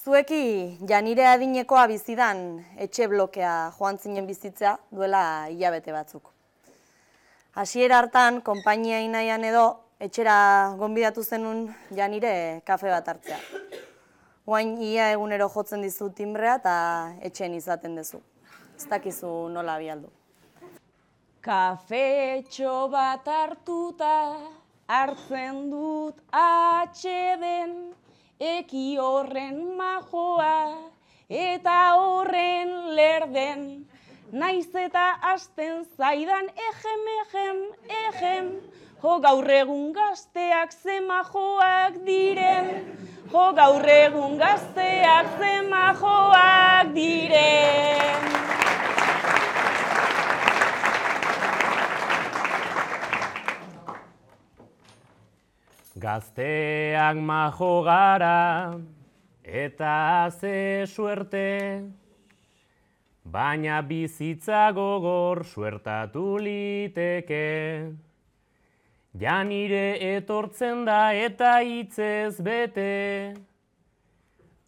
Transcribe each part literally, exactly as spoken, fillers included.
Zueki Janire adinekoa bizidan etxe blokea joan zinen bizitza duela hilabete batzuk. Hasiera hartan, konpainia inaian edo, etxera gonbidatu zenun Janire kafe bat hartzea. Oain ia egunero jotzen dizu timbrea eta etxen izaten dezu. Ez dakizu nola bialdu. Kafetxo bat hartuta hartzen dut atxeden, eki horren majoa eta horren lerden. Naiz eta hasten zaidan ejem, ejem, ejem, jo gaur egun gazteak ze majoak diren, jo gaur egun gazteak ze majoak diren. Gazteak majo gara eta ze suerte, baina bizitza gogor suertatu liteke. Janire etortzen da eta hitzez bete,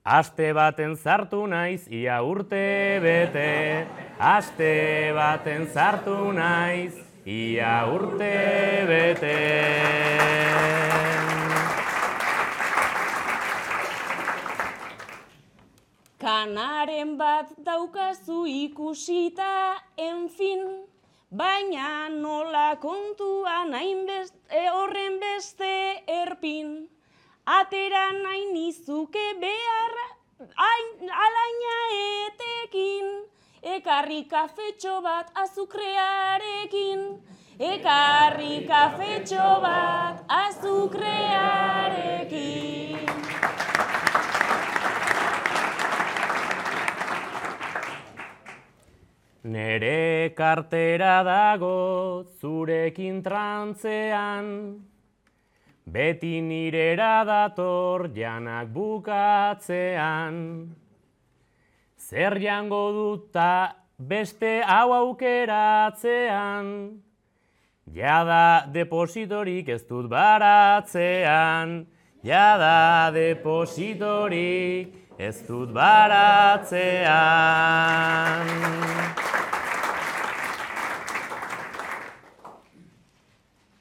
aste baten sartu naiz ia urte bete, aste baten sartu naiz ia urte bete. Kanaren bat daukazu ikusita, enfin, baina nola kontuan hainbeste horren beste erpin. Atera nahi nizuke behar alaina etekin, ekarri kafetxo bat azukrearekin, ekarri kafetxo bat azukrearekin. Nere kartera dago zurekin trantzean, beti nirera dator janak bukatzean. Zer jango duta beste hau aukeratzean, jada depositorik ez dut baratzean, jada depositorik ez dut baratzean.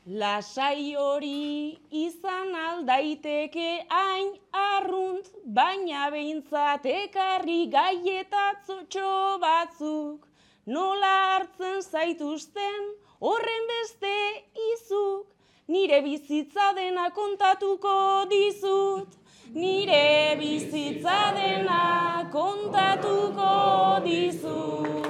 Lasai hori izan aldaiteke hain arrunt, baina behintzat ekarri gaietatxo batzuk. Nola hartzen zaituzten horren beste izuk, nire bizitza dena kontatuko dizut. Nire bizitza dena kontatuko dizut.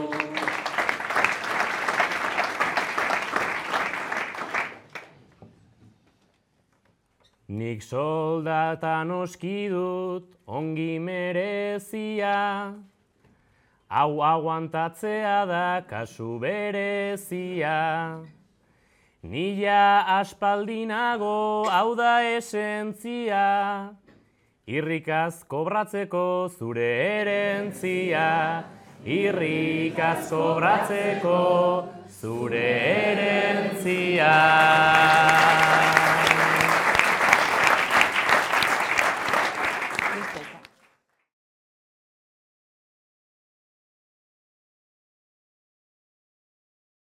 Nik soldatan oski dut ongi merezia, hau aguantatzea da kasu berezia. Nila aspaldinago hau da esentzia, irrikaz kobratzeko zure herentzia, irrikaz kobratzeko zure herentzia.